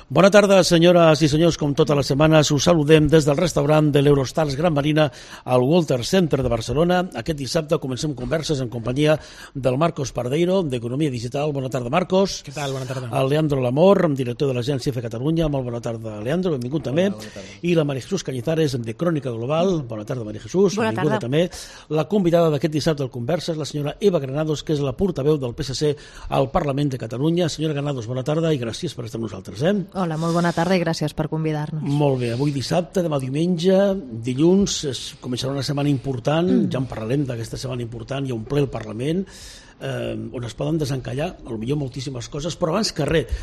Bona tarda, senyores i senyors. Com totes les setmanes, us saludem des del restaurant de l'Eurostars Gran Marina al Walter Center de Barcelona. Aquest dissabte comencem converses en companyia del Marcos Pardeiro, d'Economia Digital. Bona tarda, Marcos. Què tal? Bona tarda. El Leandro Lamor, director de l'Agència F Catalunya. Molt bona tarda, Leandro. Benvingut també. I la María Jesús Cañizares, de Crònica Global. Bona tarda, María Jesús. Bona Benvinguda tarda. també. La convidada d'aquest dissabte al Converses, la senyora Eva Granados, que és la portaveu del PSC al Parlament de Catalunya. Senyora Granados, bona tarda i gràcies per estar amb nosaltres. Hola, molt bona tarda i gràcies per convidar-nos. Molt bé, avui dissabte, demà diumenge, dilluns, començarà una setmana important, ja en parlarem d'aquesta setmana important, hi ha un ple al Parlament, on es poden desencallar, potser moltíssimes coses, però abans que res,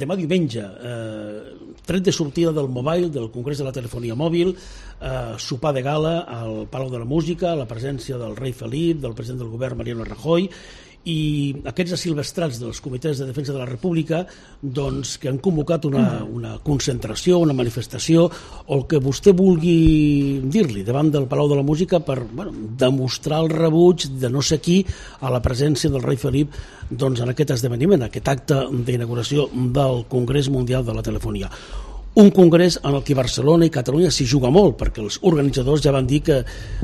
demà diumenge, tret de sortida del Mobile, del Congrés de la Telefonia Mòbil, sopar de gala al Palau de la Música, la presència del rei Felip, del president del govern Mariano Rajoy, i aquests asilvestrats dels comitès de defensa de la República doncs, que han convocat una concentració, una manifestació o el que vostè vulgui dir-li davant del Palau de la Música per demostrar el rebuig de no sé qui a la presència del rei Felip doncs, en aquest esdeveniment, aquest acte d'inauguració del Congrés Mundial de la Telefonia. Un congrés en el que Barcelona i Catalunya s'hi juga molt, perquè els organitzadors ja van dir que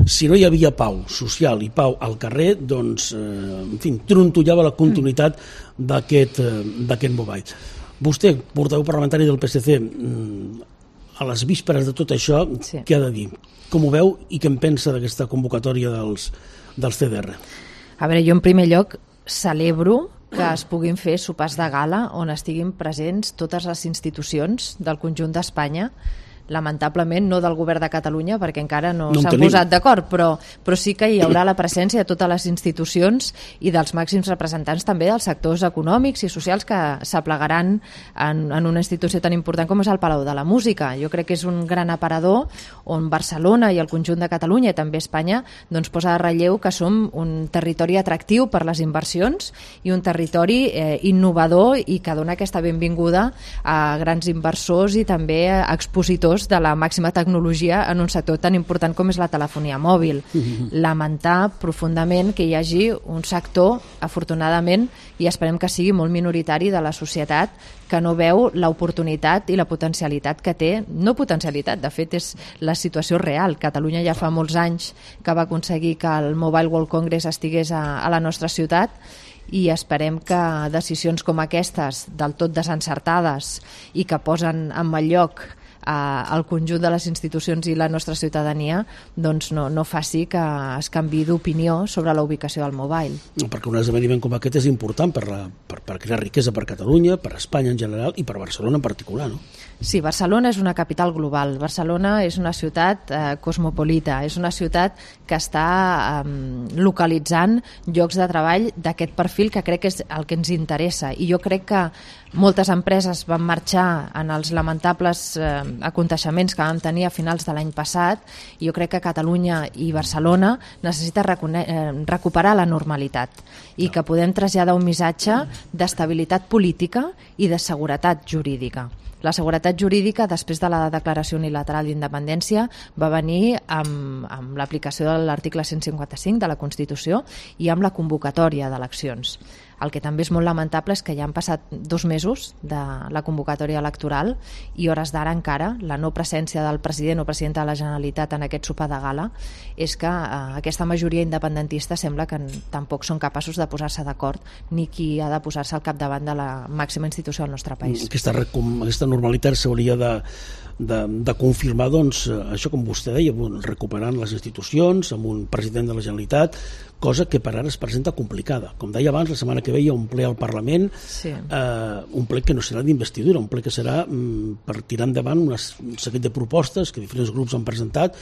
si no hi havia pau social i pau al carrer, doncs, en fi, trontollava la continuïtat d'aquest Mobile. Vostè, portaveu parlamentari del PSC, a les vísperes de tot això, Sí. Què ha de dir? Com ho veu i què en pensa d'aquesta convocatòria dels CDR? A veure, jo en primer lloc celebro que es puguin fer sopars de gala on estiguin presents totes les institucions del conjunt d'Espanya, lamentablement no del govern de Catalunya perquè encara no s'han posat d'acord, però sí que hi haurà la presència de totes les institucions i dels màxims representants també dels sectors econòmics i socials que s'aplegaran en una institució tan important com és el Palau de la Música. Jo crec que és un gran aparador on Barcelona i el conjunt de Catalunya i també Espanya doncs posa de relleu que som un territori atractiu per les inversions i un territori innovador i que dona aquesta benvinguda a grans inversors i també a expositors de la màxima tecnologia en un sector tan important com és la telefonia mòbil. Lamentar profundament que hi hagi un sector, afortunadament, i esperem que sigui molt minoritari de la societat, que no veu l'oportunitat i la potencialitat que té, no potencialitat, de fet és la situació real. Catalunya ja fa molts anys que va aconseguir que el Mobile World Congress estigués a la nostra ciutat i esperem que decisions com aquestes, del tot desencertades i que posen en mal lloc al conjunt de les institucions i la nostra ciutadania doncs no faci que es canviï d'opinió sobre la ubicació del mobile. Perquè un esdeveniment com aquest és important per crear riquesa per Catalunya, per Espanya en general i per Barcelona en particular, no? Sí, Barcelona és una capital global. Barcelona és una ciutat cosmopolita, és una ciutat que està localitzant llocs de treball d'aquest perfil que crec que és el que ens interessa. I jo crec que moltes empreses van marxar en els lamentables aconteixements que vam tenir a finals de l'any passat i jo crec que Catalunya i Barcelona necessita recuperar la normalitat i que podem traslladar un missatge d'estabilitat política i de seguretat jurídica. La seguretat jurídica, després de la declaració unilateral d'independència, va venir amb l'aplicació de l'article 155 de la Constitució i amb la convocatòria d'eleccions. El que també és molt lamentable és que ja han passat 2 mesos de la convocatòria electoral i hores d'ara encara la no presència del president o presidenta de la Generalitat en aquest sopar de gala és que aquesta majoria independentista sembla que tampoc són capaços de posar-se d'acord ni qui ha de posar-se al capdavant de la màxima institució del nostre país. Aquesta normalitat s'hauria de confirmar, doncs, això com vostè deia, recuperant les institucions amb un president de la Generalitat, cosa que per ara es presenta complicada. Com deia abans, la setmana que ve hi ha un ple al Parlament, sí. Un ple que no serà d'investidura, un ple que serà per tirar endavant un seguit de propostes que diferents grups han presentat,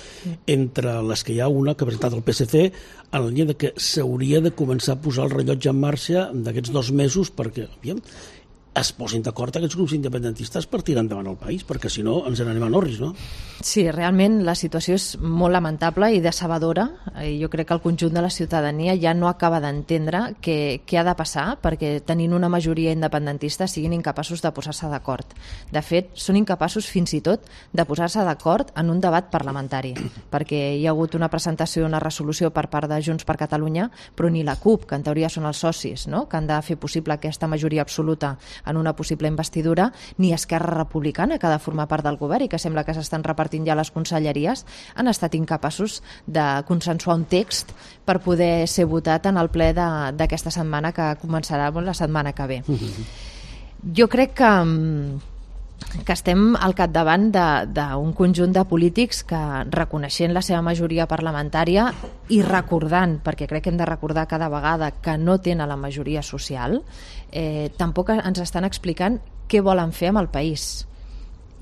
entre les que hi ha una que ha presentat el PSC en la línia de que s'hauria de començar a posar el rellotge en marxa d'aquests 2 mesos perquè, es posin d'acord aquests grups independentistes per tirar endavant el país, perquè si no ens n'anem a Norris, no? Sí, realment la situació és molt lamentable i decebedora. Jo crec que el conjunt de la ciutadania ja no acaba d'entendre què ha de passar perquè tenint una majoria independentista siguin incapaços de posar-se d'acord. De fet, són incapaços fins i tot de posar-se d'acord en un debat parlamentari, perquè hi ha hagut una presentació, una resolució per part de Junts per Catalunya, però ni la CUP, que en teoria són els socis, no?, que han de fer possible aquesta majoria absoluta en una possible investidura, ni Esquerra Republicana, que ha de formar part del govern i que sembla que s'estan repartint ja les conselleries, han estat incapaços de consensuar un text per poder ser votat en el ple d'aquesta setmana, que començarà la setmana que ve. Jo crec que estem al capdavant d'un conjunt de polítics que, reconeixent la seva majoria parlamentària i recordant, perquè crec que hem de recordar cada vegada que no tenen la majoria social, tampoc ens estan explicant què volen fer amb el país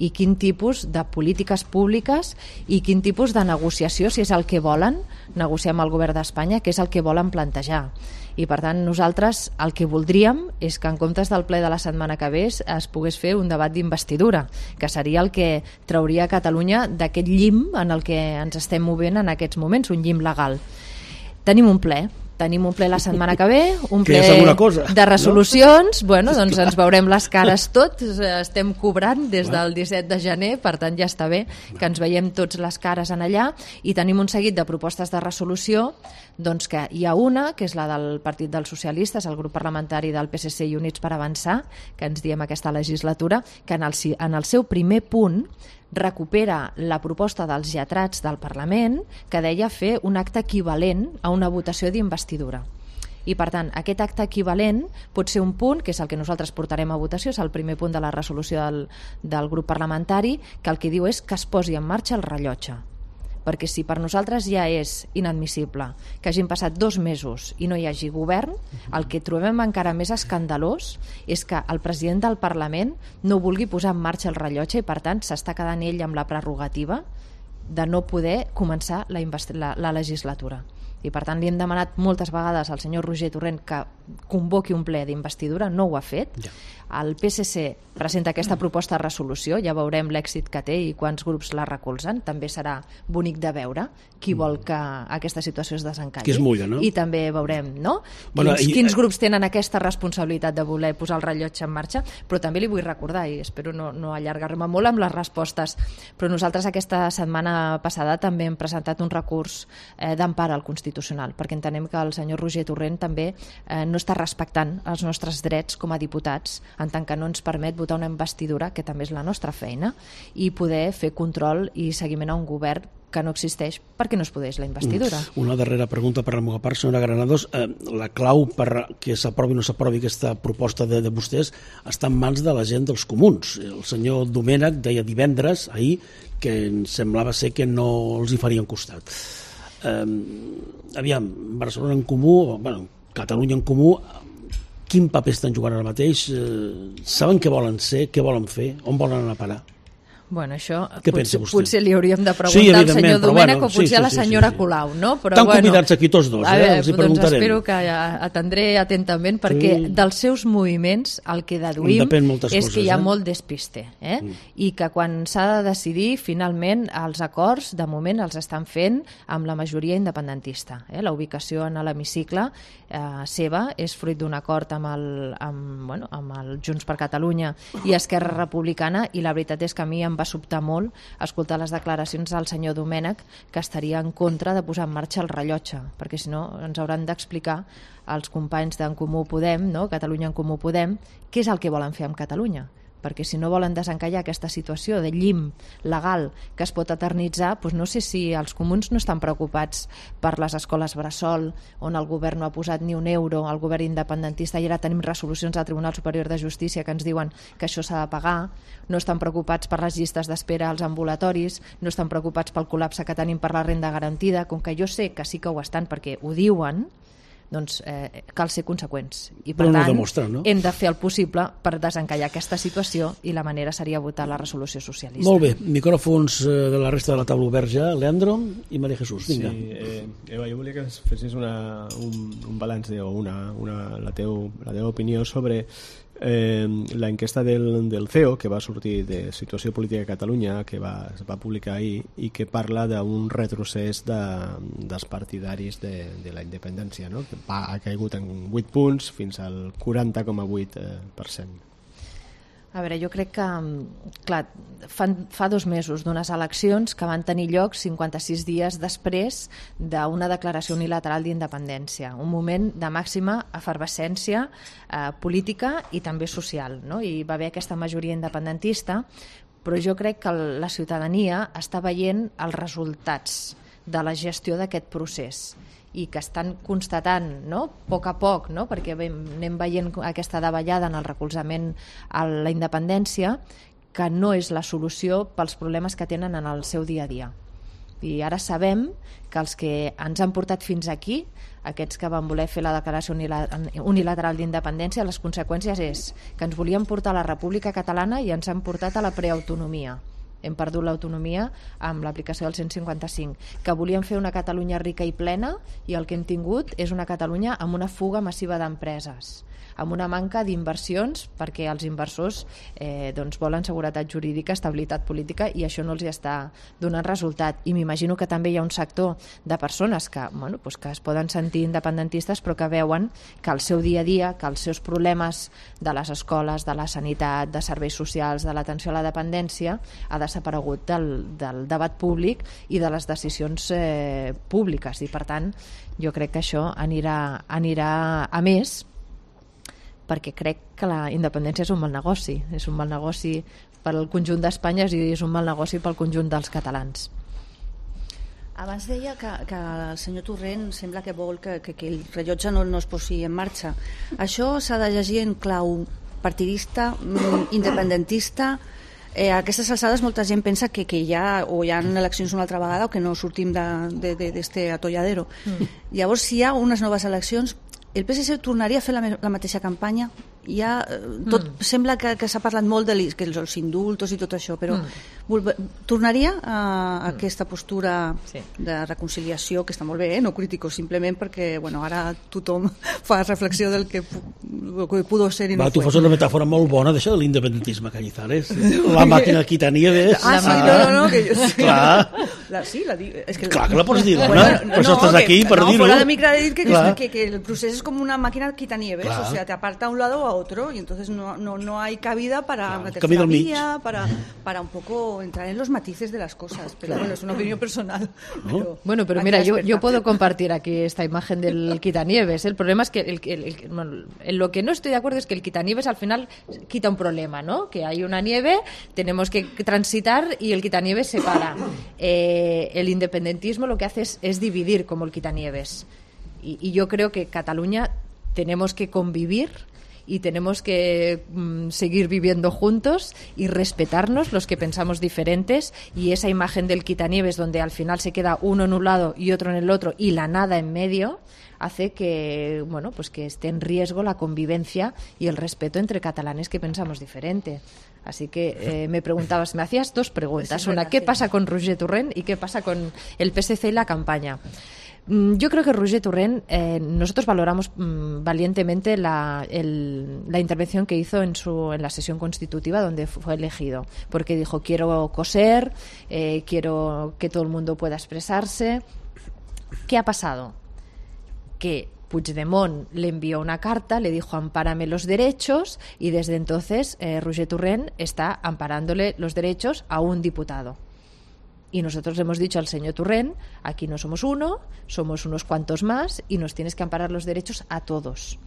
i quin tipus de polítiques públiques i quin tipus de negociació, si és el que volen negociar amb el govern d'Espanya, què és el que volen plantejar. I per tant nosaltres el que voldríem és que en comptes del ple de la setmana que ve es pogués fer un debat d'investidura, que seria el que trauria Catalunya d'aquest llim en el que ens estem movent en aquests moments, un llim legal. Tenim un ple la setmana que ve, un ple de resolucions, no? Bueno, doncs ens veurem les cares tots, estem cobrant des del 17 de gener, per tant ja està bé que ens veiem tots les cares en allà, i tenim un seguit de propostes de resolució, doncs que hi ha una, que és la del Partit dels Socialistes, el grup parlamentari del PSC i Units per Avançar, que ens diem aquesta legislatura, que en el seu primer punt recupera la proposta dels lletrats del Parlament que deia fer un acte equivalent a una votació d'investidura. I per tant, aquest acte equivalent pot ser un punt, que és el que nosaltres portarem a votació, és el primer punt de la resolució del grup parlamentari, que el que diu és que es posi en marxa el rellotge. Perquè si per nosaltres ja és inadmissible que hagin passat 2 mesos i no hi hagi govern, el que trobem encara més escandalós és que el president del Parlament no vulgui posar en marxa el rellotge i per tant s'està quedant ell amb la prerrogativa de no poder començar la legislatura. I per tant li hem demanat moltes vegades al senyor Roger Torrent que convoqui un ple d'investidura, no ho ha fet. El PSC presenta aquesta proposta de resolució, ja veurem l'èxit que té i quants grups la recolzen, també serà bonic de veure qui vol que aquesta situació es desencalli. Qui es mulla, no? I també veurem, no? Quins grups tenen aquesta responsabilitat de voler posar el rellotge en marxa, però també li vull recordar, i espero no allargar-me molt amb les respostes, però nosaltres aquesta setmana passada també hem presentat un recurs d'empara al Constitucional, perquè entenem que el senyor Roger Torrent també no està respectant els nostres drets com a diputats, en tant que no ens permet votar una investidura, que també és la nostra feina, i poder fer control i seguiment a un govern que no existeix perquè no es podeix la investidura. Una darrera pregunta per la meva part, senyora Granados. La clau per que s'aprovi o no s'aprovi aquesta proposta de vostès està en mans de la gent dels comuns. El senyor Domènech deia divendres, ahir, que semblava ser que no els hi farien costat. Aviam, Barcelona en Comú, Catalunya en Comú, quin paper estan jugant ara mateix? Saben què volen ser, què volen fer, on volen anar a parar? Bueno, això potser li hauríem de preguntar al senyor Domènech o potser a la senyora Colau, no? Estan convidats aquí tots dos, els hi preguntarem. Doncs espero que atendré atentament, perquè dels seus moviments el que deduïm és que hi ha molt despiste, i que quan s'ha de decidir, finalment els acords de moment els estan fent amb la majoria independentista. La ubicació en l'hemicicle seva és fruit d'un acord amb el Junts per Catalunya i Esquerra Republicana, i la veritat és que a mi em va sobtar molt escoltar les declaracions del senyor Domènech, que estaria en contra de posar en marxa el rellotge, perquè si no ens hauran d'explicar als companys d'en Comú Podem, no? Catalunya en Comú Podem, què és el que volen fer amb Catalunya. Perquè si no volen desencallar aquesta situació de llim legal que es pot eternitzar, doncs no sé si els comuns no estan preocupats per les escoles bressol, on el govern no ha posat ni un euro, el govern independentista, i ara tenim resolucions del Tribunal Superior de Justícia que ens diuen que això s'ha de pagar, no estan preocupats per les llistes d'espera als ambulatoris, no estan preocupats pel col·lapse que tenim per la renda garantida, com que jo sé que sí que ho estan perquè ho diuen, doncs cal ser conseqüents. I per tant hem de fer el possible per desencallar aquesta situació, i la manera seria votar la resolució socialista. Molt bé, micròfons de la resta de la taula oberts ja. Leandro i Maria Jesús, vinga. Sí, Eva, jo volia que fessis un balanç o la teva opinió sobre l'enquesta del CEO, que va sortir de Situació Política a Catalunya, que es va publicar ahir, i que parla d'un retrocés dels partidaris de la independència, no? Que ha caigut en 8 punts fins al 40,8%. A veure, jo crec que, clar, fa 2 mesos d'unes eleccions que van tenir lloc 56 dies després d'una declaració unilateral d'independència, un moment de màxima efervescència política i també social, no? I va haver aquesta majoria independentista, però jo crec que la ciutadania està veient els resultats de la gestió d'aquest procés i que estan constatant, no? A poc, no? Perquè anem veient aquesta davallada en el recolzament a la independència, que no és la solució pels problemes que tenen en el seu dia a dia. I ara sabem que els que ens han portat fins aquí, aquests que van voler fer la declaració unilateral d'independència, les conseqüències és que ens volien portar a la República Catalana i ens han portat a la preautonomia. Hem perdut l'autonomia amb l'aplicació del 155, que volien fer una Catalunya rica i plena i el que hem tingut és una Catalunya amb una fuga massiva d'empreses, amb una manca d'inversions perquè els inversors volen seguretat jurídica, estabilitat política i això no els hi està donant resultat. I m'imagino que també hi ha un sector de persones que es poden sentir independentistes però que veuen que el seu dia a dia, que els seus problemes de les escoles, de la sanitat, de serveis socials, de l'atenció a la dependència ha desaparegut del debat públic i de les decisions públiques i per tant jo crec que això anirà a més perquè crec que la independència és un mal negoci per al conjunt d'Espanya i és un mal negoci pel conjunt dels catalans. Abans deia que el senyor Torrent sembla que vol que el rellotge no es posi en marxa. Això s'ha de llegir en clau partidista, independentista. A aquestes alçades molta gent pensa que ja o hi ha eleccions una altra vegada o que no sortim d'este atolladero. Llavors, si hi ha unes noves eleccions, el PSC tornaria a fer la mateixa campanya? Sembla que s'ha parlat molt dels indultos i tot això, però tornaria a aquesta postura de reconciliació, que està molt bé, no critico, simplement perquè ara tothom fa reflexió del que pudo ser i no tu fas una metàfora molt bona d'això de l'independentisme, Cañizares. La màquina Quitanieves. No, que jo sí. Clar. Clar que la pots dir, dona. Per això estàs aquí, per dir-ho. Fora de micro he dit que el procés es como una máquina quitanieves, o sea, te aparta a un lado o a otro y entonces no hay cabida para una tercera vía, para un poco entrar en los matices de las cosas, pero bueno, es una opinión personal. Pero mira, yo puedo compartir aquí esta imagen del quitanieves. El problema es que en lo que no estoy de acuerdo es que el quitanieves al final quita un problema, ¿no? Que hay una nieve, tenemos que transitar y el quitanieves se para. El independentismo lo que hace es dividir como el quitanieves. Y yo creo que Cataluña tenemos que convivir y tenemos que seguir viviendo juntos y respetarnos los que pensamos diferentes, y esa imagen del quitanieves donde al final se queda uno en un lado y otro en el otro y la nada en medio hace que que esté en riesgo la convivencia y el respeto entre catalanes que pensamos diferente. Así que me preguntabas, me hacías 2 preguntas. Una, ¿qué pasa con Roger Torrent y qué pasa con el PSC y la campaña? Yo creo que Roger Torrent, nosotros valoramos valientemente la intervención que hizo en la sesión constitutiva donde fue elegido, porque dijo, quiero coser, quiero que todo el mundo pueda expresarse. ¿Qué ha pasado? Que Puigdemont le envió una carta, le dijo ampárame los derechos, y desde entonces Roger Torrent está amparándole los derechos a un diputado. Y nosotros le hemos dicho al señor Torrent, aquí no somos uno, somos unos cuantos más y nos tienes que amparar los derechos a todos.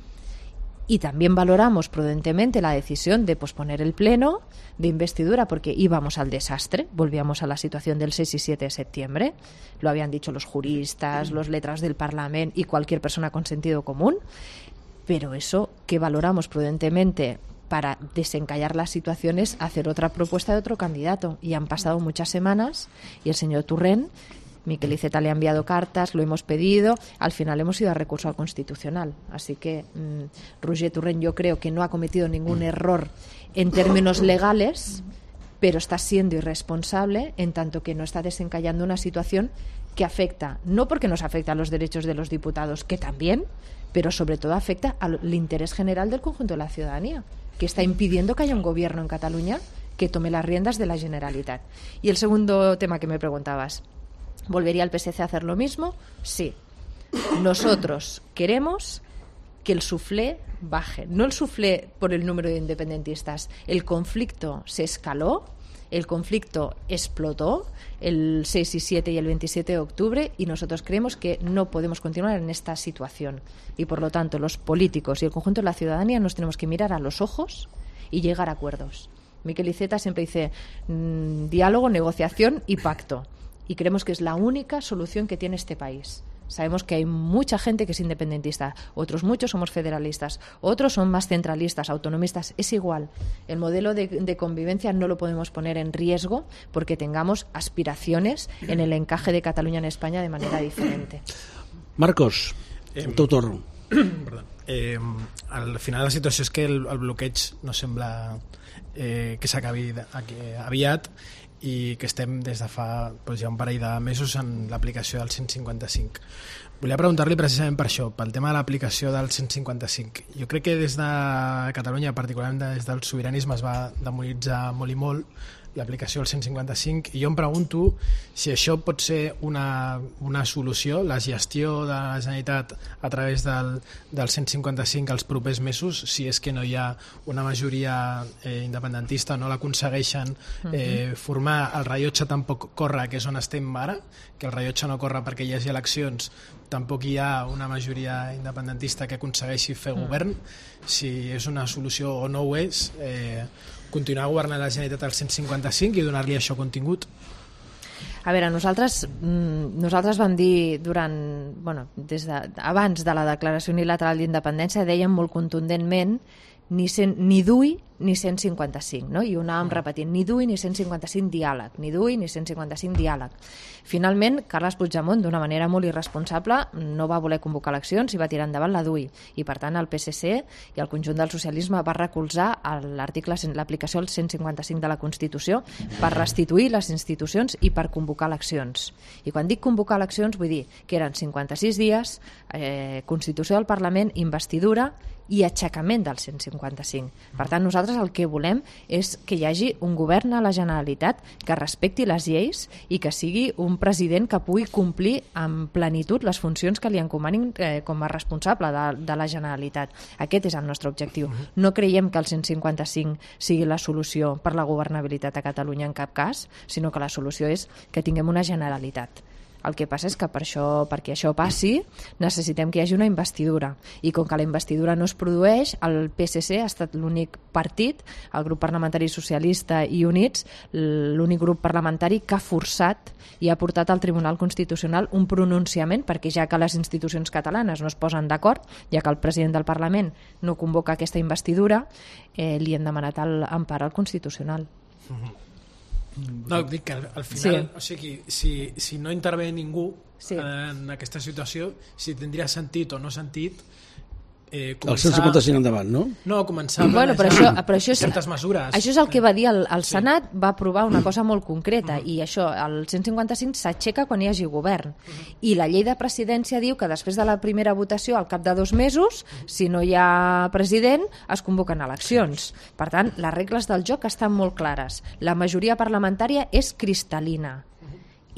Y también valoramos prudentemente la decisión de posponer el pleno de investidura porque íbamos al desastre, volvíamos a la situación del 6 y 7 de septiembre, lo habían dicho los juristas, los letrados del Parlamento y cualquier persona con sentido común, pero eso que valoramos prudentemente para desencallar las situaciones, hacer otra propuesta de otro candidato. Y han pasado muchas semanas y el señor Torrent, Miquel Iceta le ha enviado cartas, lo hemos pedido, al final hemos ido a recurso al Constitucional. Así que Roger Torrent yo creo que no ha cometido ningún error en términos legales, pero está siendo irresponsable en tanto que no está desencallando una situación que afecta, no porque nos afecta a los derechos de los diputados, que también, pero sobre todo afecta al interés general del conjunto de la ciudadanía, que está impidiendo que haya un gobierno en Cataluña que tome las riendas de la Generalitat. Y el segundo tema que me preguntabas, ¿volvería el PSC a hacer lo mismo? Sí. Nosotros queremos que el suflé baje, no el suflé por el número de independentistas. El conflicto se escaló, el conflicto explotó el 6 y 7 y el 27 de octubre y nosotros creemos que no podemos continuar en esta situación y por lo tanto los políticos y el conjunto de la ciudadanía nos tenemos que mirar a los ojos y llegar a acuerdos. Miquel Iceta siempre dice diálogo, negociación y pacto y creemos que es la única solución que tiene este país. Sabemos que hay mucha gente que es independentista, otros muchos somos federalistas, otros son más centralistas, autonomistas, es igual. El modelo de convivencia no lo podemos poner en riesgo porque tengamos aspiraciones en el encaje de Catalunya en España de manera diferente. Marcos, tu torn. Perdó. Al final la situació és que el bloqueig no sembla que s'acabi aviat i que estem des de fa ja un parell de mesos en l'aplicació del 155. Volia preguntar-li precisament per això, pel tema de l'aplicació del 155. Jo crec que des de Catalunya, particularment des del sobiranisme, es va demonitzar molt i molt l'aplicació del 155 i jo em pregunto si això pot ser una solució, la gestió de la Generalitat a través del 155 als propers mesos, si és que no hi ha una majoria independentista, no l'aconsegueixen formar, el rellotge tampoc corre, que és on estem ara, que el rellotge no corre perquè hi hagi eleccions, tampoc hi ha una majoria independentista que aconsegueixi fer govern, si és una solució o no ho és, continuar governant la Generalitat al 155 i donar-li això contingut? A veure, nosaltres vam dir abans de la declaració unilateral d'independència dèiem molt contundentment ni DUI ni 155, no? I ho anàvem repetint, ni DUI ni 155 diàleg, ni DUI ni 155 diàleg. Finalment, Carles Puigdemont, d'una manera molt irresponsable, no va voler convocar eleccions i va tirar endavant la DUI. I, per tant, el PSC i el conjunt del socialisme va recolzar l'aplicació del 155 de la Constitució per restituir les institucions i per convocar eleccions. I quan dic convocar eleccions vull dir que eren 56 dies, Constitució del Parlament, investidura i aixecament del 155. Per tant, nosaltres el que volem és que hi hagi un govern a la Generalitat que respecti les lleis i que sigui un president que pugui complir amb plenitud les funcions que li encomanin com a responsable de la Generalitat. Aquest és el nostre objectiu. No creiem que el 155 sigui la solució per la governabilitat a Catalunya en cap cas, sinó que la solució és que tinguem una Generalitat. El que passa és que perquè això passi necessitem que hi hagi una investidura i com que la investidura no es produeix, el PSC ha estat l'únic partit, el grup parlamentari socialista i Units, l'únic grup parlamentari que ha forçat i ha portat al Tribunal Constitucional un pronunciament perquè ja que les institucions catalanes no es posen d'acord, ja que el president del Parlament no convoca aquesta investidura, li hem demanat l'empara al Constitucional. No, dic que al final, o sigui, si no intervé ningú en aquesta situació, si tindria sentit o no sentit començar... El 155 endavant, no? No, començar a planejar certes mesures. Això és el que va dir el Senat, va aprovar una cosa molt concreta i això, el 155 s'aixeca quan hi hagi govern i la llei de presidència diu que després de la primera votació, al cap de 2 mesos, si no hi ha president, es convoquen eleccions. Per tant, les regles del joc estan molt clares. La majoria parlamentària és cristal·lina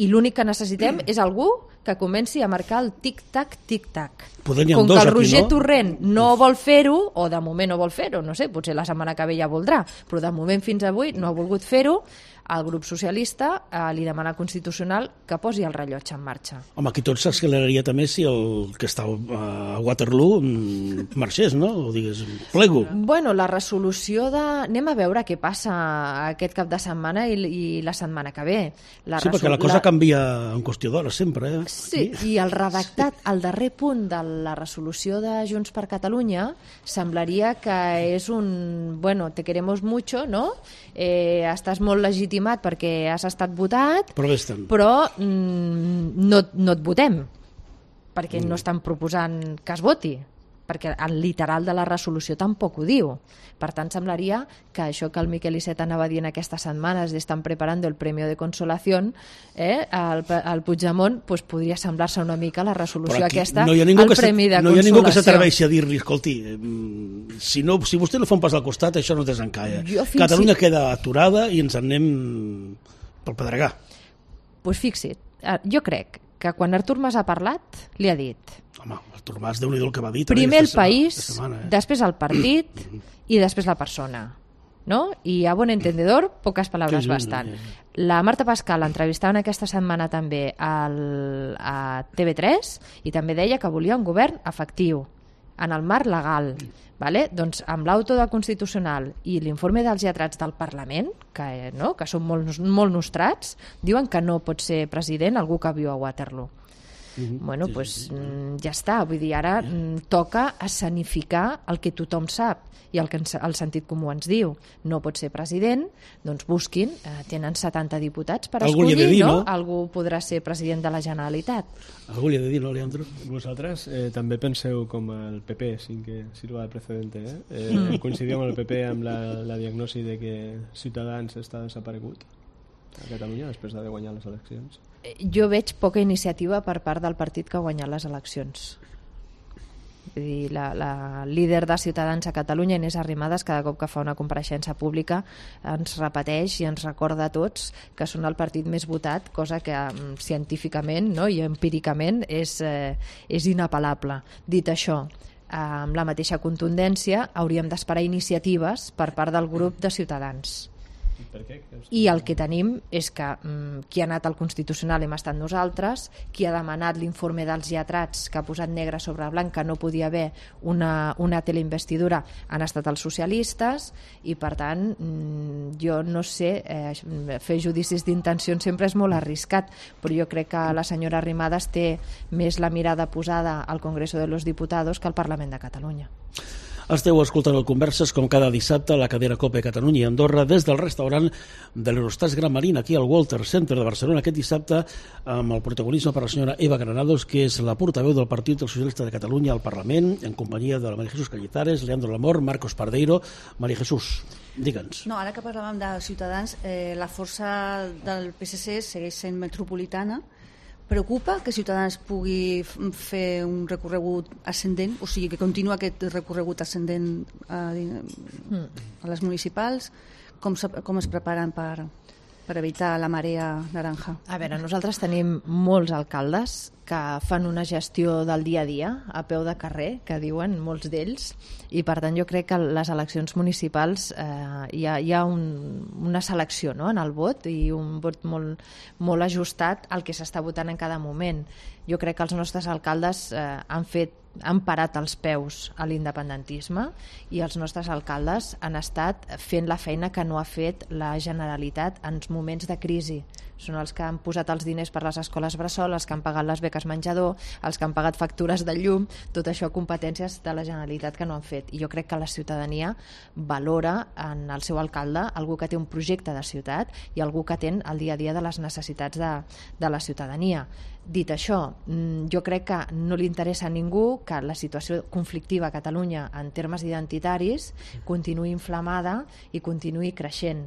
i l'únic que necessitem és algú que comenci a marcar el tic-tac, tic-tac. Com que el Roger Torrent no vol fer-ho, o de moment no vol fer-ho, no sé, potser la setmana que ve ja voldrà, però de moment fins avui no ha volgut fer-ho, el grup socialista li demana al Constitucional que posi el rellotge en marxa. Home, aquí tot s'acceleraria també si el que està a Waterloo marxés, no? O digués, plego. Bueno, la resolució de... Anem a veure què passa aquest cap de setmana i la setmana que ve. Sí, perquè la cosa canvia en qüestió d'hores sempre, eh? Sí, i el redactat, el darrer punt de la resolució de Junts per Catalunya semblaria que és un... Bueno, te queremos mucho, ¿no? Estàs molt legitimat perquè has estat votat, però no et votem, perquè no estan proposant que es voti, perquè el literal de la resolució tampoc ho diu. Per tant, semblaria que això que el Miquel Iceta anava dient aquestes setmanes d'estan preparando el premio de consolación, al Puigdemont pues, podria semblar-se una mica la resolució aquesta al premi de consolació. No hi ha ningú que s'atreveixi a dir-li, escolti, si vostè no fa un pas al costat, això no desencalla. Catalunya queda aturada i ens en anem pel pedregar. Pues fixa't, jo crec que quan Artur Mas ha parlat, li ha dit... Home, Artur Mas, Déu-n'hi-do el que va dir. Primer el país, després el partit i després la persona. ¿No? Y a buen entendedor, pocas palabras bastan. La Marta Pascal l'entrevistaven aquesta setmana també a TV3 i també deia que volia un govern efectiu en el marc legal. Vale? Doncs amb l'auto del Constitucional i l'informe dels lletrats del Parlament, que són molt nostrats, diuen que no pot ser president algú que viu a Waterloo. Bueno, doncs ja està. Vull dir, ara toca escenificar el que tothom sap i el que el sentit comú ens diu. No pot ser president, doncs busquin, tenen 70 diputats per escollir, no? Algú podrà ser president de la Generalitat. Algú li ha de dir, no, Leandro? Vosaltres també penseu com el PP, sin que sirva de precedente, coincidiu amb el PP amb la diagnosi de que Ciutadans està desaparegut a Catalunya després d'haver guanyat les eleccions? Jo veig poca iniciativa per part del partit que ha guanyat les eleccions. Vull dir, la líder de Ciutadans a Catalunya, Inés Arrimadas, cada cop que fa una compareixença pública ens repeteix i ens recorda a tots que són el partit més votat, cosa que científicament, no, i empíricament és inapel·lable. Dit això, amb la mateixa contundència hauríem d'esperar iniciatives per part del grup de Ciutadans. I el que tenim és que qui ha anat al Constitucional hem estat nosaltres, qui ha demanat l'informe dels lletrats que ha posat negre sobre blanc que no podia haver una teleinvestidura han estat els socialistes i per tant jo no sé, fer judicis d'intencions sempre és molt arriscat, però jo crec que la senyora Arrimadas té més la mirada posada al Congreso de los Diputados que al Parlament de Catalunya. Esteu escoltant el Converses com cada dissabte a la cadena COPE Catalunya i Andorra des del restaurant de l'Eurostars Gran Marín aquí al Walter Center de Barcelona aquest dissabte amb el protagonisme per la senyora Eva Granados, que és la portaveu del Partit dels Socialistes de Catalunya al Parlament, en companyia de la María Jesús Cañizares, Leandro Lamor, Marcos Pardeiro. María Jesús, digue'ns. No, ara que parlàvem de Ciutadans, la força del PSC segueix sent metropolitana. Preocupa que Ciutadans pugui fer un recorregut ascendent, o sigui, que continua aquest recorregut ascendent a les municipals? Com es preparen per evitar la marea naranja? A veure, nosaltres tenim molts alcaldes que fan una gestió del dia a dia, a peu de carrer, que diuen molts d'ells, i per tant jo crec que les eleccions municipals hi ha una selecció, no?, en el vot i un vot molt ajustat al que s'està votant en cada moment. Jo crec que els nostres alcaldes han parat els peus a l'independentisme i els nostres alcaldes han estat fent la feina que no ha fet la Generalitat en moments de crisi. Són els que han posat els diners per les escoles bressol, els que han pagat les beques menjador, els que han pagat factures de llum, tot això competències de la Generalitat que no han fet. I jo crec que la ciutadania valora en el seu alcalde algú que té un projecte de ciutat i algú que atén el dia a dia de les necessitats de la ciutadania. Dit això, jo crec que no li interessa a ningú que la situació conflictiva a Catalunya en termes identitaris continuï inflamada i continuï creixent.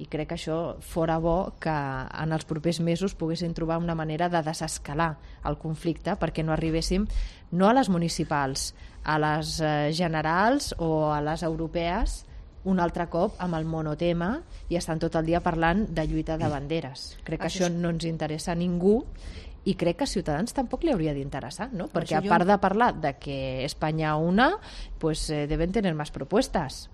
I crec que això fora bo que en els propers mesos poguessin trobar una manera de desescalar el conflicte perquè no arribéssim no a les municipals, a les generals o a les europees un altre cop amb el monotema i estan tot el dia parlant de lluita de banderes. Crec que això no ens interessa a ningú i crec que a Ciutadans tampoc li hauria d'interessar, ¿no? Perquè a part de parlar de que España una, pues deben tener más propuestas.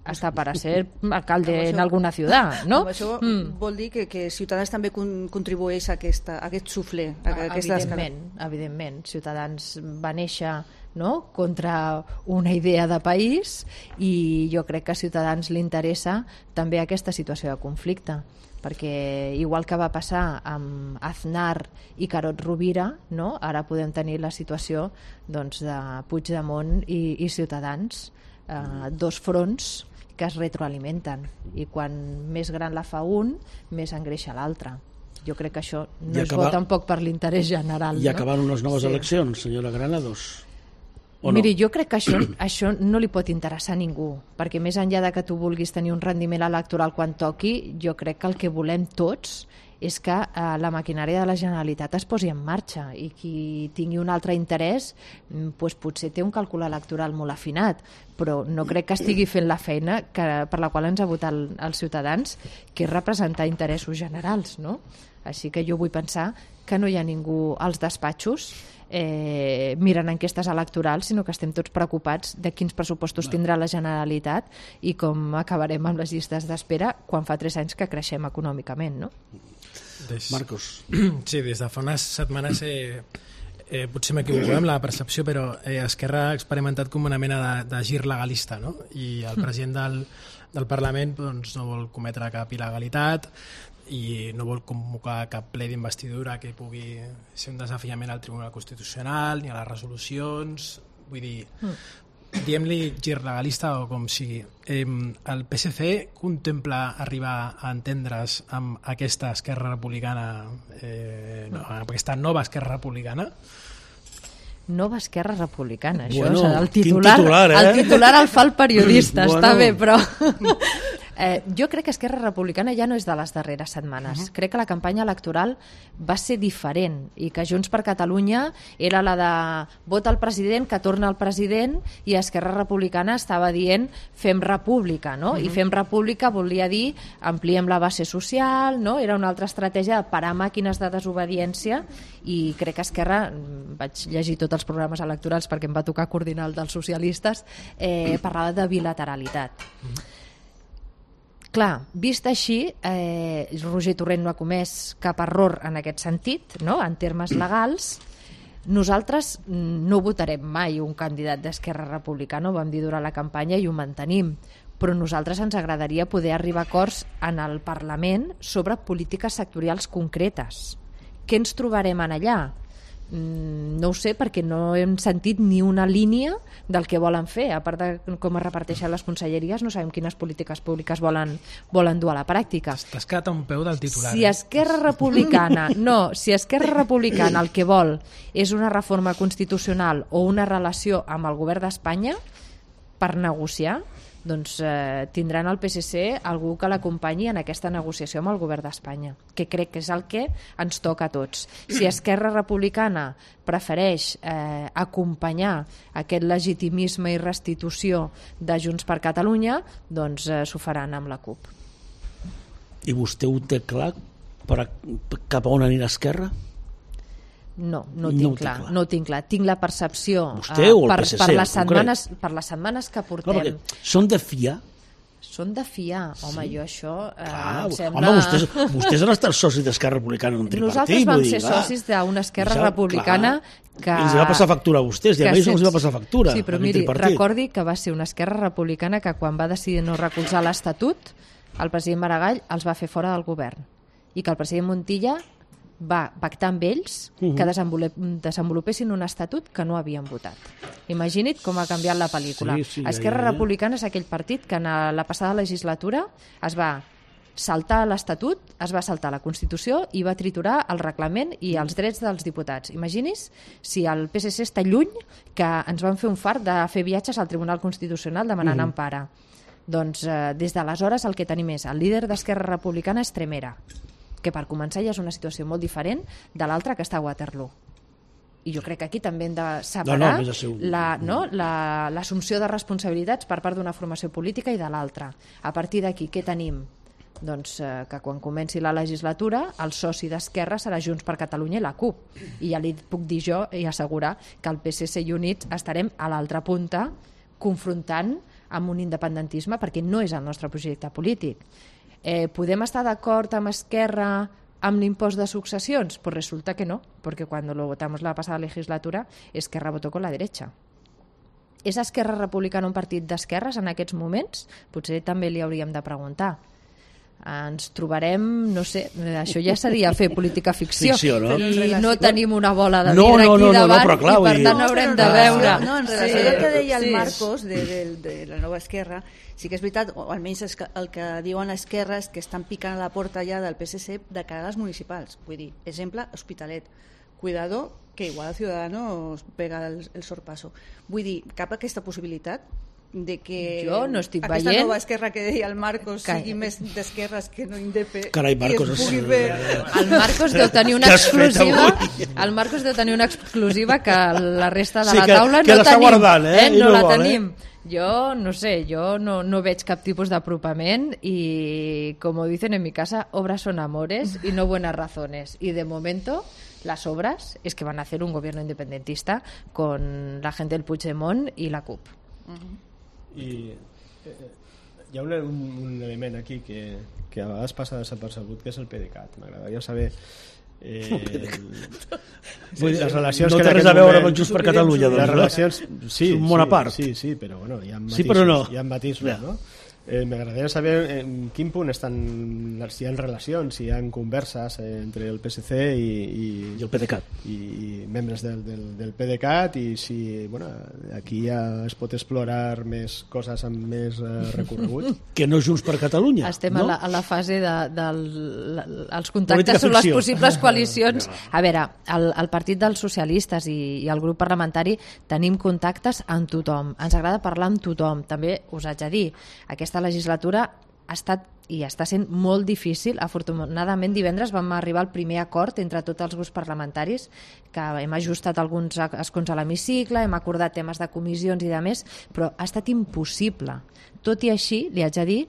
Hasta para ser alcalde en alguna ciutat, no? Això vol dir que Ciutadans també contribueix a aquest suflé. Evidentment. Ciutadans va néixer, no?, contra una idea de país i jo crec que a Ciutadans li interessa també aquesta situació de conflicte, perquè igual que va passar amb Aznar i Carod Rovira, no?, ara podem tenir la situació doncs, de Puigdemont i Ciutadans, dos fronts que es retroalimenten i quan més gran la fa un, més engreixa l'altre. Jo crec que això no és bo tampoc per l'interès general. I acabant unes noves eleccions, senyora Granados. Miri, jo crec que això no li pot interessar a ningú, perquè més enllà de que tu vulguis tenir un rendiment electoral quan toqui, jo crec que el que volem tots és que la maquinària de la Generalitat es posi en marxa i qui tingui un altre interès doncs potser té un càlcul electoral molt afinat, però no crec que estigui fent la feina per la qual ens ha votat els ciutadans, que és representar interessos generals, no? Així que jo vull pensar que no hi ha ningú als despatxos mirant enquestes electorals, sinó que estem tots preocupats de quins pressupostos tindrà la Generalitat i com acabarem amb les llistes d'espera quan fa 3 anys que creixem econòmicament, no? Marcos. Sí, des de fa unes setmanes potser m'equivoco amb la percepció, però Esquerra ha experimentat com una mena de gir legalista, no? I el president del Parlament doncs, no vol cometre cap il·legalitat i no vol convocar cap ple d'investidura que pugui ser un desafiament al Tribunal Constitucional ni a les resolucions. Vull dir, diem-li gir legalista o com sigui. El PSC contempla arribar a entendre's amb aquesta Esquerra Republicana, amb aquesta nova Esquerra Republicana? Nova Esquerra Republicana, això bueno, serà el titular, el titular el fa el periodista, bueno. Està bé, però jo crec que Esquerra Republicana ja no és de les darreres setmanes. Crec que la campanya electoral va ser diferent i que Junts per Catalunya era la de vota el president, que torna el president, i Esquerra Republicana estava dient fem república, no? I fem república volia dir ampliem la base social, no? Era una altra estratègia de parar màquines de desobediència, i crec que Esquerra, vaig llegir tots els programes electorals perquè em va tocar coordinar el dels socialistes, parlava de bilateralitat. Clar, vist així, Roger Torrent no ha comès cap error en aquest sentit, no? En termes legals. Nosaltres no votarem mai un candidat d'Esquerra Republicana, ho vam dir durant la campanya i ho mantenim, però a nosaltres ens agradaria poder arribar a acords en el Parlament sobre polítiques sectorials concretes. Què ens trobarem en allà? No ho sé, perquè no hem sentit ni una línia del que volen fer. A part de com es reparteixen les conselleries, no sabem quines polítiques públiques volen dur a la pràctica. T'has quedat a un peu del titular. Si Esquerra Republicana el que vol és una reforma constitucional o una relació amb el govern d'Espanya per negociar, doncs tindran al PSC algú que l'acompanyi en aquesta negociació amb el govern d'Espanya, que crec que és el que ens toca a tots. Si Esquerra Republicana prefereix acompanyar aquest legitimisme i restitució de Junts per Catalunya, doncs s'ho faran amb la CUP. I vostè ho té clar cap a on anirà Esquerra? No tinc clar. Tinc la percepció per les setmanes que portem. No, són de fiar? Són de fiar, home, jo això em sembla... Home, vostès han estat socis d'Esquerra Republicana en un tripartit. Nosaltres vam ser socis d'una Esquerra Republicana que... Els va passar factura a vostès, i a ells no els va passar factura. Sí, però miri, recordi que va ser una Esquerra Republicana que quan va decidir no recolzar l'Estatut, el president Maragall els va fer fora del govern, i que el president Montilla va pactar amb ells que desenvolupessin un estatut que no havien votat. Imagina't com ha canviat la pel·lícula. Esquerra Republicana és aquell partit que en la passada legislatura es va saltar l'Estatut, es va saltar la Constitució i va triturar el reglament i els drets dels diputats. Imagini's si el PSC està lluny, que ens van fer un fart de fer viatges al Tribunal Constitucional demanant empara. Doncs des d'aleshores el que tenim és el líder d'Esquerra Republicana és Tremera, que per començar ja és una situació molt diferent de l'altra que està a Waterloo. I jo crec que aquí també hem de separar l'assumpció de responsabilitats per part d'una formació política i de l'altra. A partir d'aquí, què tenim? Doncs que quan comenci la legislatura el soci d'Esquerra serà Junts per Catalunya i la CUP. I ja li puc dir jo i assegurar que el PSC i Units estarem a l'altra punta confrontant amb un independentisme perquè no és el nostre projecte polític. ¿Podem estar d'acord amb Esquerra amb l'impost de successions? Pues resulta que no, porque cuando lo votamos la pasada legislatura, Esquerra votó con la derecha. És Esquerra Republicana un partit d'esquerres en aquests moments? Potser també li hauríem de preguntar. Ens trobarem, no sé, això ja seria fer política ficció, no? I no tenim una bola de vidre aquí davant, però clar, i per tant haurem de veure. No, en relació al que deia el Marcos de la nova Esquerra, sí que és veritat, o almenys el que diuen Esquerra és que estan picant a la porta ja del PSC de cara a les municipals. Vull dir, exemple, Hospitalet. Cuidado, que igual el Ciudadanos pega el sorpasso. Vull dir, cap aquesta possibilitat de que jo no estic aquesta veient nova Esquerra que deia el Marcos sigui més d'esquerres que no indep. Carai, Marcos, el Marcos deu tenir una exclusiva. El Marcos deu tenir una exclusiva que la resta de la taula no tenim. No la tenim. Jo no sé, jo no veig cap tipus d'apropament y, como dicen en mi casa, obras son amores y no buenas razones. Y de momento las obras es que van a hacer un gobierno independentista con la gente del Puigdemont y la CUP. I hi ha un element aquí que a vegades passa desapercebut, que és el PDeCAT. M'agradaria saber les relacions no que té res a veure amb Junts per Catalunya, les relacions, sí, un món a part. sí, però bueno, hi ha matisos, sí, però no. hi ha matisos, no? M'agradaria saber en quin punt estan, si hi ha relacions, si hi ha converses entre el PSC i el PDeCAT i membres del PDeCAT, i si aquí ja es pot explorar més coses amb més recorregut. Que no Junts per Catalunya. Estem no? a la fase dels contactes sobre les possibles coalicions. A veure, el Partit dels Socialistes i el grup parlamentari tenim contactes amb tothom. Ens agrada parlar amb tothom. També us haig de dir, aquesta legislatura ha estat i està sent molt difícil. Afortunadament divendres vam arribar al primer acord entre tots els grups parlamentaris, que hem ajustat alguns escons a l'hemicicle, hem acordat temes de comissions i de més, però ha estat impossible. Tot i així, li haig de dir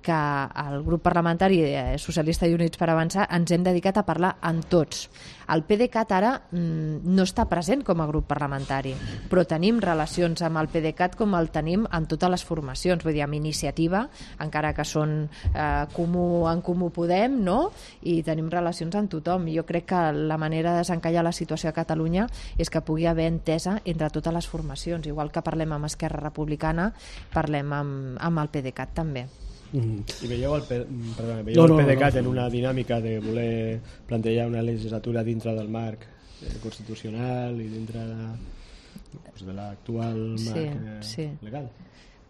que el grup parlamentari socialista i Units per Avançar ens hem dedicat a parlar amb tots. El PDeCAT ara no està present com a grup parlamentari, però tenim relacions amb el PDeCAT com el tenim amb totes les formacions, vull dir, amb Iniciativa, encara que són en Comú Podem, no? I tenim relacions amb tothom. Jo crec que la manera de desencallar la situació a Catalunya és que pugui haver entesa entre totes les formacions. Igual que parlem amb Esquerra Republicana, parlem amb el PDeCAT també. I veieu el PDeCAT en una dinàmica de voler plantejar una legislatura dintre del marc constitucional i dintre de l'actual marc legal?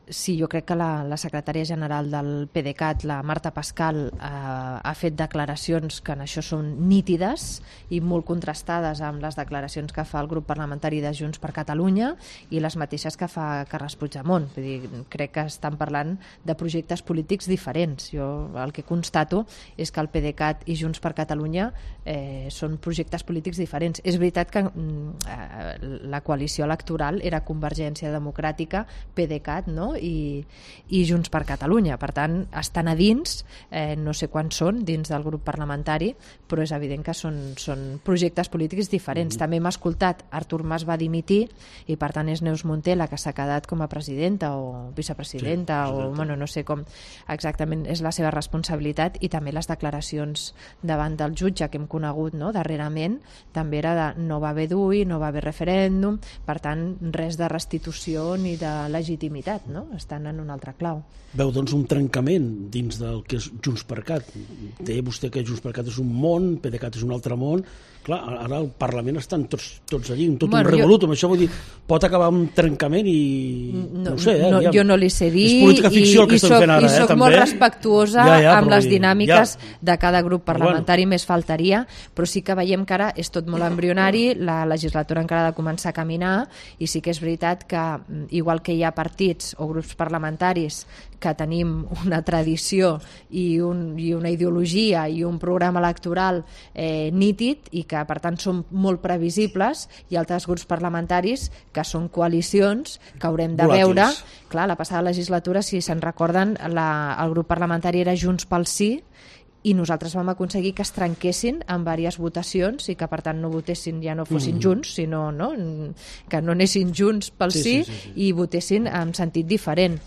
Sí, jo crec que la secretària general del PDeCAT, la Marta Pascal, ha fet declaracions que en això són nítides i molt contrastades amb les declaracions que fa el grup parlamentari de Junts per Catalunya i les mateixes que fa Carles Puigdemont. Vull dir, crec que estan parlant de projectes polítics diferents. Jo el que constato és que el PDeCAT i Junts per Catalunya són projectes polítics diferents. És veritat que la coalició electoral era Convergència Democràtica, PDeCAT, no? I Junts per Catalunya. Per tant, estan a dins, no sé quants són dins del grup parlamentari, però és evident que són projectes polítics diferents. També hem escoltat, Artur Mas va dimitir i per tant és Neus Munté la que s'ha quedat com a presidenta o vicepresidenta, o bueno, no sé com exactament és la seva responsabilitat, i també les declaracions davant del jutge que hem conegut, no? Darrerament també era de no va haver DUI, no va haver referèndum, per tant res de restitució ni de legitimitat, no? Estan en un altre clau. Veu, doncs, un trencament dins del que és Junts per Cat. Deia vostè que Junts per Cat és un món, PDeCAT és un altre món. Clar, ara al Parlament estan tots allí, tot un revolut, amb això vull dir, pot acabar un trencament i... No ho sé, jo no li sé dir, és política ficció el que estem fent ara, i soc també molt respectuosa amb les dinàmiques de cada grup parlamentari, bueno, més faltaria, però sí que veiem que ara és tot molt embrionari, la legislatura encara ha de començar a caminar, i sí que és veritat que, igual que hi ha partits o grups parlamentaris que tenim una tradició i una ideologia i un programa electoral nítid i que per tant són molt previsibles, i altres grups parlamentaris que són coalicions que haurem de veure. Clar, la passada legislatura, si se'n recorden, el grup parlamentari era Junts pel Sí, i nosaltres vam aconseguir que es trenquessin en diverses votacions i que per tant no votessin, ja no fossin junts, sinó que no anessin junts pel sí i votessin en sentit diferent.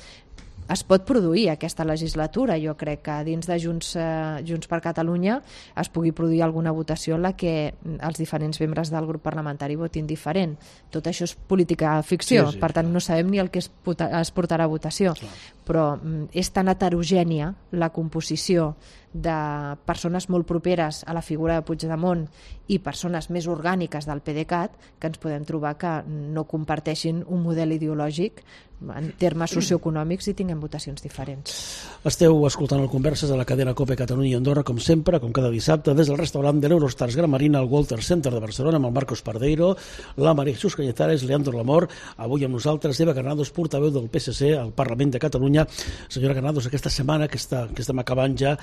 Es pot produir aquesta legislatura. Jo crec que dins de Junts per Catalunya es pugui produir alguna votació en la que els diferents membres del grup parlamentari votin diferent. Tot això és política ficció, per tant no sabem ni el que es portarà a votació. Però és tan heterogènia la composició de persones molt properes a la figura de Puigdemont i persones més orgàniques del PDeCAT que ens podem trobar que no comparteixin un model ideològic en termes socioeconòmics i tinguem votacions diferents. Esteu escoltant el Converses a la cadena COPE Catalunya i Andorra, com sempre, com cada dissabte, des del restaurant de l'Eurostars Gran Marina al Walter Center de Barcelona, amb el Marcos Pardeiro, la María Jesús Cañizares, Leandro Lamor, avui amb nosaltres Eva Granados, portaveu del PSC al Parlament de Catalunya. Senyora Granados, aquesta setmana que estem acabant ja,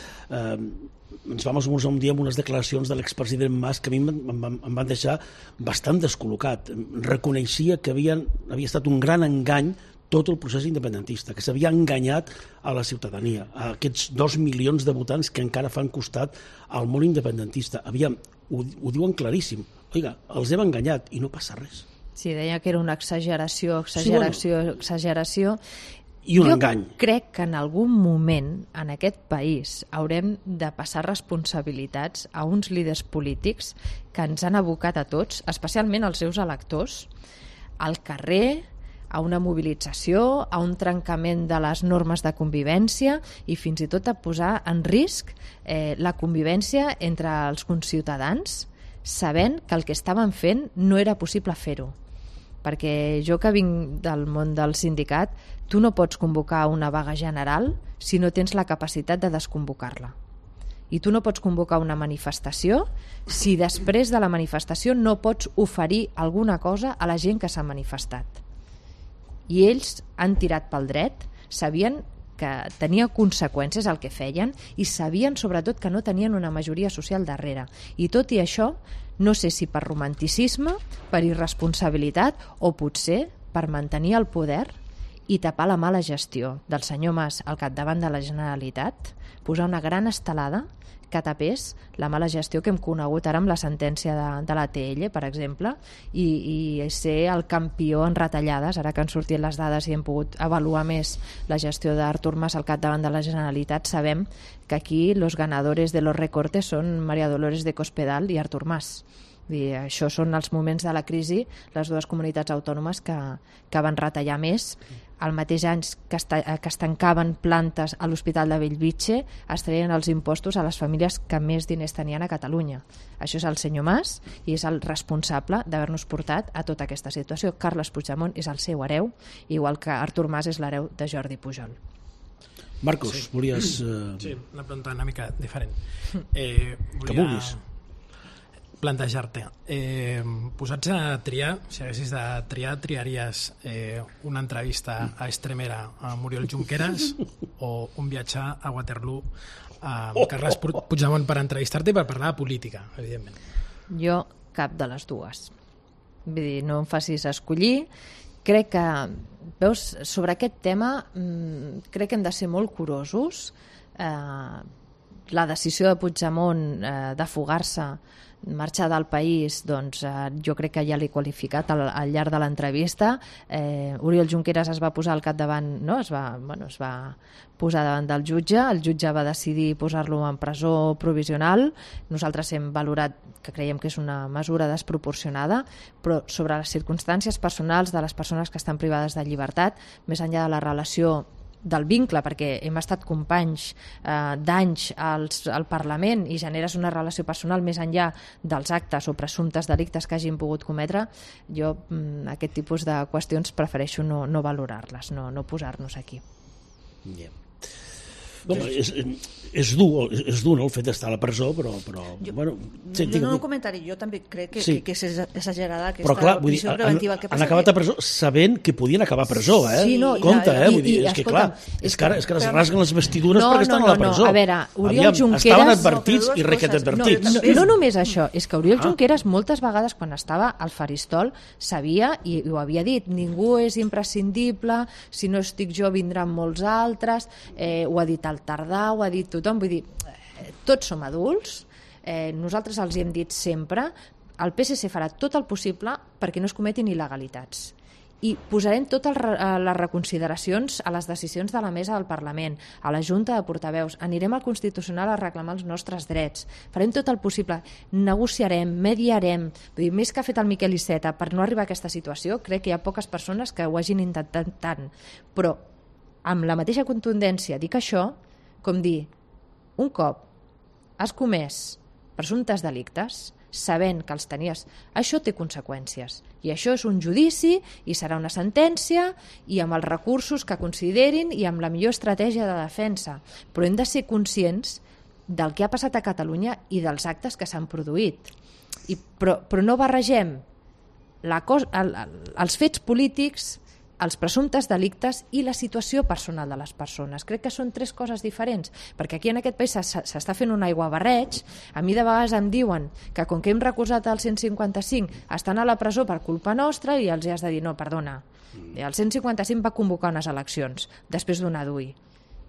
ens vam esmorzar un dia amb unes declaracions de l'expresident Mas que a mi em van deixar bastant descol·locat. Reconeixia que havia estat un gran engany tot el procés independentista, que s'havia enganyat a la ciutadania, a aquests 2 milions de votants que encara fan costat al món independentista. Aviam, ho diuen claríssim. Oiga, els hem enganyat i no passa res. Sí, deia que era una exageració. I un engany. Jo crec que en algun moment en aquest país haurem de passar responsabilitats a uns líders polítics que ens han abocat a tots, especialment als seus electors, al carrer, a una mobilització, a un trencament de les normes de convivència i fins i tot a posar en risc la convivència entre els conciutadans, sabent que el que estaven fent no era possible fer-ho. Perquè jo que vinc del món del sindicat, tu no pots convocar una vaga general si no tens la capacitat de desconvocar-la. I tu no pots convocar una manifestació si després de la manifestació no pots oferir alguna cosa a la gent que s'ha manifestat. I ells han tirat pel dret, sabien que tenia conseqüències el que feien i sabien sobretot que no tenien una majoria social darrere. I tot i això, no sé si per romanticisme, per irresponsabilitat o potser per mantenir el poder i tapar la mala gestió del senyor Mas al capdavant de la Generalitat, posar una gran estelada que tapés la mala gestió que hem conegut ara amb la sentència de l'ATL, per exemple, i ser el campió en retallades, ara que han sortit les dades i hem pogut avaluar més la gestió d'Artur Mas al capdavant de la Generalitat, sabem que aquí los ganadores de los recortes són María Dolores de Cospedal i Artur Mas. I això són els moments de la crisi, les dues comunitats autònomes que van retallar més. Al mateix any que es tancaven plantes a l'Hospital de Bellvitge, es treien els impostos a les famílies que més diners tenien a Catalunya. Això és el senyor Mas i és el responsable d'haver-nos portat a tota aquesta situació. Carles Puigdemont és el seu hereu, igual que Artur Mas és l'hereu de Jordi Pujol. Marcos, sí. Volies... Sí, una pregunta una mica diferent. Que vulguis. Plantejar-te, posats a triar, si haguessis de triar, triaries una entrevista a Estremera a Muriel Junqueras o un viatge a Waterloo a Carles Puigdemont per entrevistar-te i per parlar de política, evidentment? Jo cap de les dues. Vull dir, no em facis escollir. Crec que, veus, sobre aquest tema crec que hem de ser molt curosos. La decisió de Puigdemont de fugar-se, marxar del país, doncs jo crec que ja l'he qualificat al llarg de l'entrevista. Oriol Junqueras es va posar al capdavant, no? es va posar davant del jutge, el jutge va decidir posar-lo en presó provisional. Nosaltres hem valorat que creiem que és una mesura desproporcionada, però sobre les circumstàncies personals de les persones que estan privades de llibertat, més enllà de la relació del vincle, perquè hem estat companys d'anys al Parlament i generes una relació personal més enllà dels actes o presumptes delictes que hagin pogut cometre, jo aquest tipus de qüestions prefereixo no valorar-les, no posar-nos aquí. Yeah. És dur, no, el fet d'estar a la presó, però bueno... No un comentari, jo també crec que és exagerada aquesta prisió preventiva. Han acabat a presó sabent que podien acabar a presó, eh? Sí, no, compte, vull dir, és que clar, és que es rasguen les vestidures perquè estan a la presó. A veure, Oriol Junqueras... Estaven advertits i requetadvertits. No només això, és que Oriol Junqueras moltes vegades quan estava al faristol sabia, i ho havia dit, ningú és imprescindible, si no estic jo vindran molts altres, ho ha dit al Tardà, ho ha dit tothom, vull dir, tots som adults, nosaltres els hi hem dit sempre, el PSC farà tot el possible perquè no es cometin il·legalitats i posarem totes les reconsideracions a les decisions de la mesa del Parlament, a la Junta de Portaveus, anirem al Constitucional a reclamar els nostres drets, farem tot el possible, negociarem, mediarem, vull dir, més que ha fet el Miquel Iceta per no arribar a aquesta situació, crec que hi ha poques persones que ho hagin intentat tant, però amb la mateixa contundència dic això, com dir, un cop has comès presumptes delictes, sabent que els tenies, això té conseqüències i això és un judici i serà una sentència i amb els recursos que considerin i amb la millor estratègia de defensa, però hem de ser conscients del que ha passat a Catalunya i dels actes que s'han produït però no barregem els fets polítics els presumptes delictes i la situació personal de les persones. Crec que són 3 coses diferents, perquè aquí en aquest país s'està fent un aiguabarreig. A mi de vegades em diuen que com que hem recusat el 155 estan a la presó per culpa nostra i els has de dir, no, perdona, el 155 va convocar unes eleccions després d'un adui.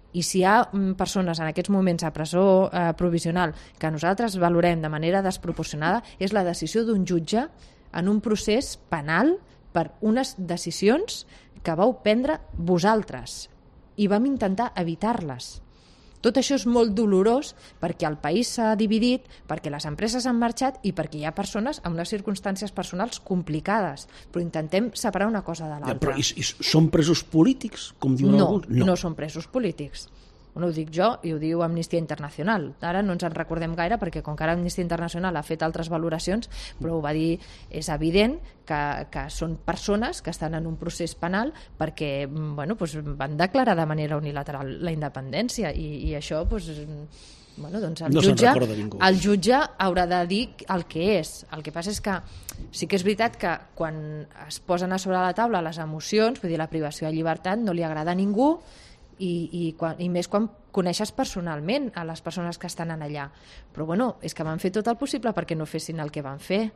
I si hi ha persones en aquests moments a presó provisional que nosaltres valorem de manera desproporcionada, és la decisió d'un jutge en un procés penal per unes decisions que vau prendre vosaltres i vam intentar evitar-les. Tot això és molt dolorós perquè el país s'ha dividit, perquè les empreses han marxat i perquè hi ha persones amb unes circumstàncies personals complicades. Però intentem separar una cosa de l'altra. Però i són presos polítics, com diuen alguns? No són presos polítics. No ho dic jo i ho diu Amnistia Internacional. Ara no ens en recordem gaire perquè com que ara Amnistia Internacional ha fet altres valoracions, però ho va dir, és evident que són persones que estan en un procés penal perquè van declarar de manera unilateral la independència i això el jutge haurà de dir el que és. El que passa és que sí que és veritat que quan es posen a sobre la taula les emocions, vull dir, la privació de llibertat no li agrada a ningú i més quan coneixes personalment a les persones que estan allà. Però és que van fer tot el possible perquè no fessin el que van fer.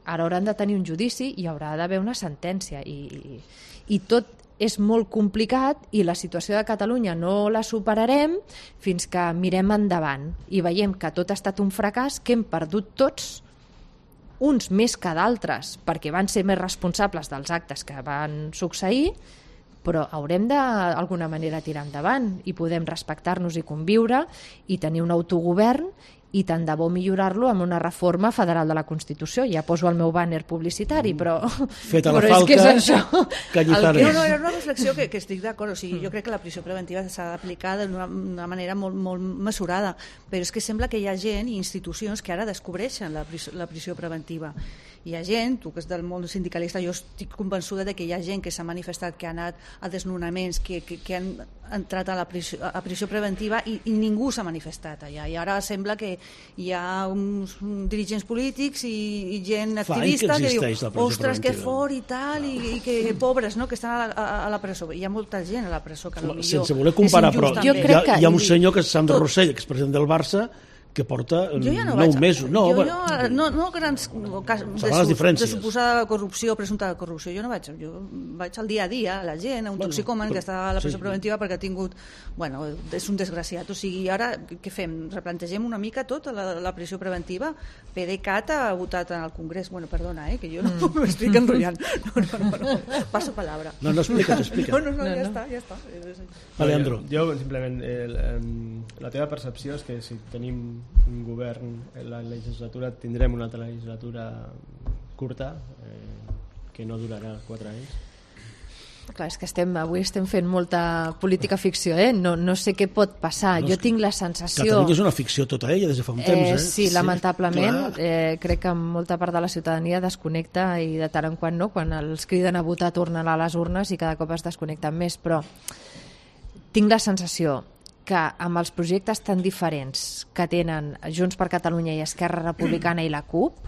Ara hauran de tenir un judici i haurà d'haver una sentència i tot és molt complicat i la situació de Catalunya no la superarem fins que mirem endavant i veiem que tot ha estat un fracàs, que hem perdut tots, uns més que d'altres perquè van ser més responsables dels actes que van succeir, però haurem d'alguna manera tirar endavant i podem respectar-nos i conviure i tenir un autogovern i tant de bo millorar-lo amb una reforma federal de la Constitució. Ja poso el meu bàner publicitari, però feta la però falca, és que és això. No, era una reflexió que estic d'acord. O sigui, jo crec que la prisió preventiva s'ha d'aplicar d'una manera molt, molt mesurada, però és que sembla que hi ha gent i institucions que ara descobreixen la prisió preventiva. Hi ha gent, tu que és del món sindicalista, jo estic convençuda de que hi ha gent que s'ha manifestat, que ha anat a desnonaments, que han entrat a la prisió preventiva i ningú s'ha manifestat allà. I ara sembla que hi ha uns dirigents polítics i gent activista que diu, ostres, que fort i tal, i que pobres, no?, que estan a la presó. Hi ha molta gent a la presó que potser sense voler comparar, però hi ha un senyor que és Sandro Rossell, que és president del Barça, que porta 9 mesos. No grans casos de suposada corrupció, presumpta corrupció. Jo no vaig. Jo vaig al dia a dia, a la gent, a un toxicòman que està a la presó preventiva perquè ha tingut... és un desgraciat. O sigui, ara què fem? Replantegem una mica tot la prisió preventiva? PDeCAT ha votat en el Congrés. Perdona, que jo no m'estic enrotllant. No. Passo palabra. No, explica't. No, ja està. Alejandro. Jo, simplement, la teva percepció és que si tenim un govern en la legislatura tindrem una altra legislatura curta que no durarà 4 anys. Clar, és que avui estem fent molta política ficció, no sé què pot passar. Jo tinc la sensació... Catalunya és una ficció tota ella des de fa un temps. Sí, lamentablement. Crec que molta part de la ciutadania desconnecta i de tant en quant no, quan els criden a votar tornen a les urnes i cada cop es desconnecten més, però tinc la sensació que amb els projectes tan diferents que tenen Junts per Catalunya i Esquerra Republicana i la CUP,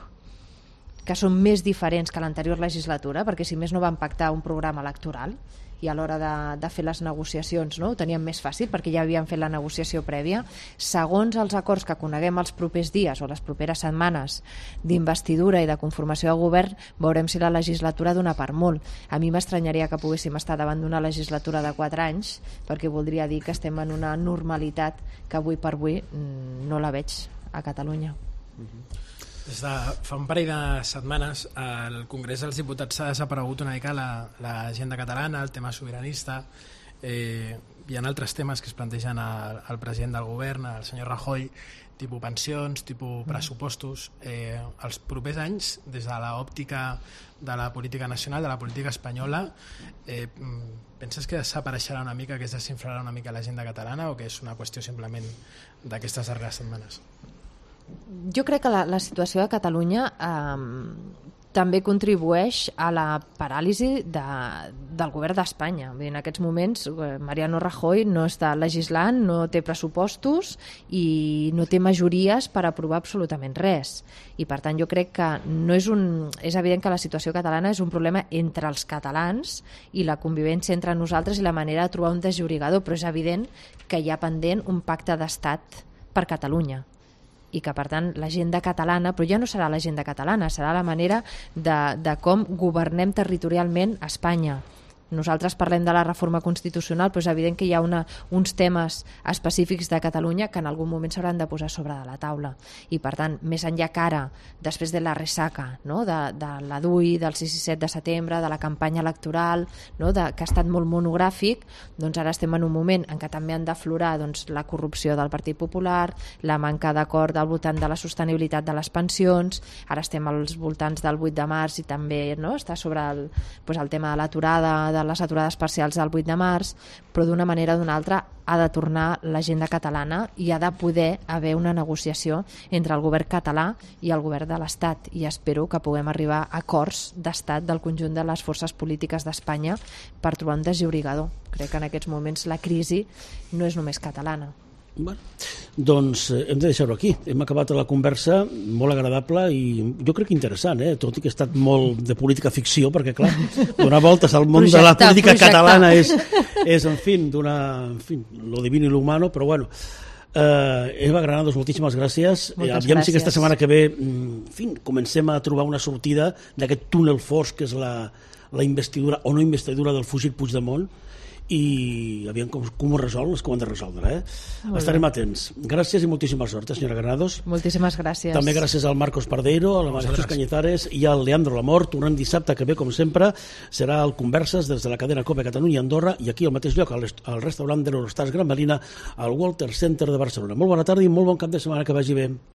que són més diferents que l'anterior legislatura, perquè si més no van pactar un programa electoral i a l'hora de fer les negociacions ho teníem més fàcil perquè ja havien fet la negociació prèvia. Segons els acords que coneguem els propers dies o les properes setmanes d'investidura i de conformació de govern, veurem si la legislatura dona per molt. A mi m'estranyaria que poguéssim estar davant d'una legislatura de 4 anys, perquè voldria dir que estem en una normalitat que avui per avui no la veig a Catalunya. Des de fa un parell de setmanes al Congrés dels Diputats s'ha desaparegut una mica l'agenda catalana, el tema sobiranista. Hi ha altres temes que es plantegen al president del govern, el senyor Rajoy, tipus pensions, tipus pressupostos. Els propers anys, des de l'òptica de la política nacional, de la política espanyola, penses que desapareixerà una mica, que es desinflarà una mica l'agenda catalana o que és una qüestió simplement d'aquestes darreres setmanes? Jo crec que la situació de Catalunya també contribueix a la paràlisi del govern d'Espanya. En aquests moments Mariano Rajoy no està legislant, no té pressupostos i no té majories per aprovar absolutament res. I per tant jo crec que és evident que la situació catalana és un problema entre els catalans i la convivència entre nosaltres i la manera de trobar un desllorigador, però és evident que hi ha pendent un pacte d'estat per Catalunya i que, per tant, l'agenda catalana, però ja no serà l'agenda catalana, serà la manera de com governem territorialment Espanya. Nosaltres parlem de la reforma constitucional, però és evident que hi ha uns temes específics de Catalunya que en algun moment s'hauran de posar sobre de la taula. I, per tant, més enllà que ara, després de la ressaca, no? de la DUI, del 6 i 7 de setembre, de la campanya electoral, no? que ha estat molt monogràfic, doncs ara estem en un moment en què també han d'aflorar la corrupció del Partit Popular, la manca d'acord al voltant de la sostenibilitat de les pensions, ara estem als voltants del 8 de març i també està sobre el tema de l'aturada, de les aturades parcials del 8 de març, però d'una manera o d'una altra ha de tornar l'agenda catalana i ha de poder haver una negociació entre el govern català i el govern de l'Estat, i espero que puguem arribar a acords d'estat del conjunt de les forces polítiques d'Espanya per trobar un desllorigador. Crec que en aquests moments la crisi no és només catalana. Bueno, doncs hem de deixar-ho aquí. Hem acabat la conversa molt agradable i jo crec que interessant, tot i que ha estat molt de política ficció, perquè clar, donar voltes al món de la política catalana és en fi, lo divino i lo humano, però bueno. Eva Granados, moltíssimes gràcies. Aviam si aquesta setmana que ve comencem a trobar una sortida d'aquest túnel fosc que és la investidura o no investidura del fugit Puigdemont, i aviam com ho resol, les que ho han de resoldre. Estarem atents. Gràcies i moltíssima sort, senyora Granados. Moltíssimes gràcies. També gràcies al Marcos Pardeiro, a la Maria Jesús Cañizares i al Leandro Lamort. Tornem dissabte que ve, com sempre, serà el Converses des de la cadena COPE Catalunya Andorra i aquí al mateix lloc, al restaurant de l'Eurostars Gran Melina, al Walter Center de Barcelona. Molt bona tarda i molt bon cap de setmana, que vagi bé.